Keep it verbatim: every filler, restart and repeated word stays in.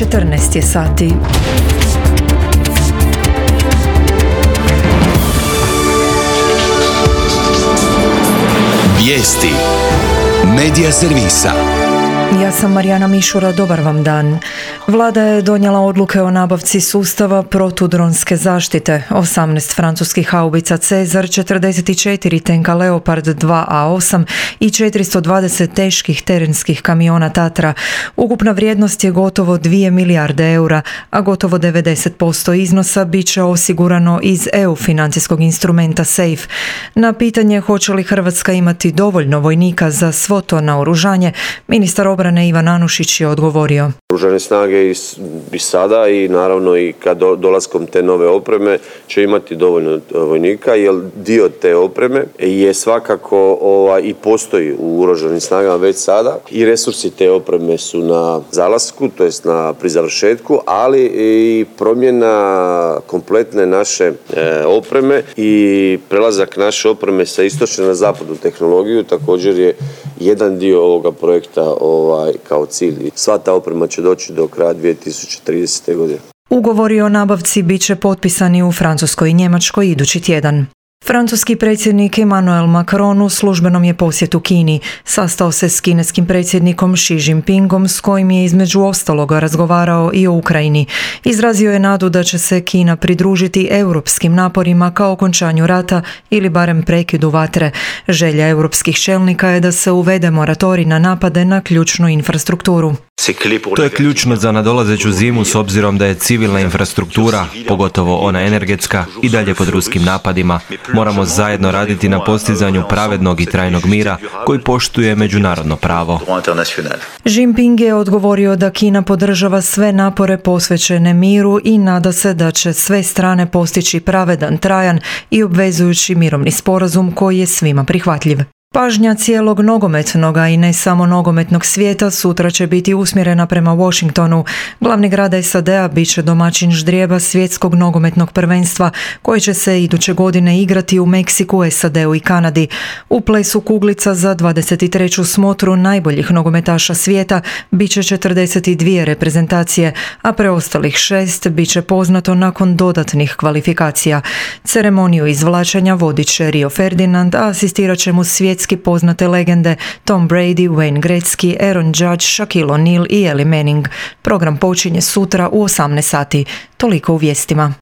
četrnaest je sati. Vijesti Medija servisa. Ja sam Marijana Mišura, dobar vam dan. Vlada je donijela odluke o nabavci sustava protudronske zaštite, osamnaest francuskih haubica Cezar, četrdeset četiri tenka Leopard dva A osam i četiristo dvadeset teških terenskih kamiona Tatra. Ukupna vrijednost je gotovo dvije milijarde eura, a gotovo devedeset posto iznosa bit će osigurano iz E U financijskog instrumenta SAFE. Na pitanje hoće li Hrvatska imati dovoljno vojnika za svo to naoružanje, ministar obrane Ivan Anušić je odgovorio. Oružane snage i, i sada i naravno i kad do, dolaskom te nove opreme će imati dovoljno vojnika, jer dio te opreme je svakako ovaj, i postoji u oružanim snagama već sada i resursi te opreme su na zalasku, to jest na pri završetku, ali i promjena kompletne naše e, opreme i prelazak naše opreme sa istočne na zapadnu tehnologiju također je jedan dio ovoga projekta ovaj, kao cilj. Sva ta oprema će doći do kraja dvije tisuće tridesete. godine. Ugovori o nabavci bit će potpisani u Francuskoj i Njemačkoj idući tjedan. Francuski predsjednik Emmanuel Macron u službenom je posjetu Kini. Sastao se s kineskim predsjednikom Xi Jinpingom, s kojim je između ostaloga razgovarao i o Ukrajini. Izrazio je nadu da će se Kina pridružiti europskim naporima ka okončanju rata ili barem prekidu vatre. Želja europskih čelnika je da se uvede moratorij na napade na ključnu infrastrukturu. To je ključno za nadolazeću zimu s obzirom da je civilna infrastruktura, pogotovo ona energetska, i dalje pod ruskim napadima. Moramo zajedno raditi na postizanju pravednog i trajnog mira koji poštuje međunarodno pravo. Jinping je odgovorio da Kina podržava sve napore posvećene miru i nada se da će sve strane postići pravedan, trajan i obvezujući mirovni sporazum koji je svima prihvatljiv. Pažnja cijelog nogometnog, a i ne samo nogometnog svijeta, sutra će biti usmjerena prema Washingtonu. Glavni grad S A D-a bit će domaćin ždrijeba svjetskog nogometnog prvenstva, koje će se iduće godine igrati u Meksiku, S A D-u i Kanadi. U plesu kuglica za dvadeset treću smotru najboljih nogometaša svijeta bit će četrdeset dvije reprezentacije, a preostalih šest bit će poznato nakon dodatnih kvalifikacija. Ceremoniju izvlačenja vodit će Rio Ferdinand, a asistirat će mu svjetski poznate legende Tom Brady, Wayne Gretzky, Aaron Judge, Shaquille O'Neal i Eli Manning. Program počinje sutra u osamnaest sati. Toliko u vijestima.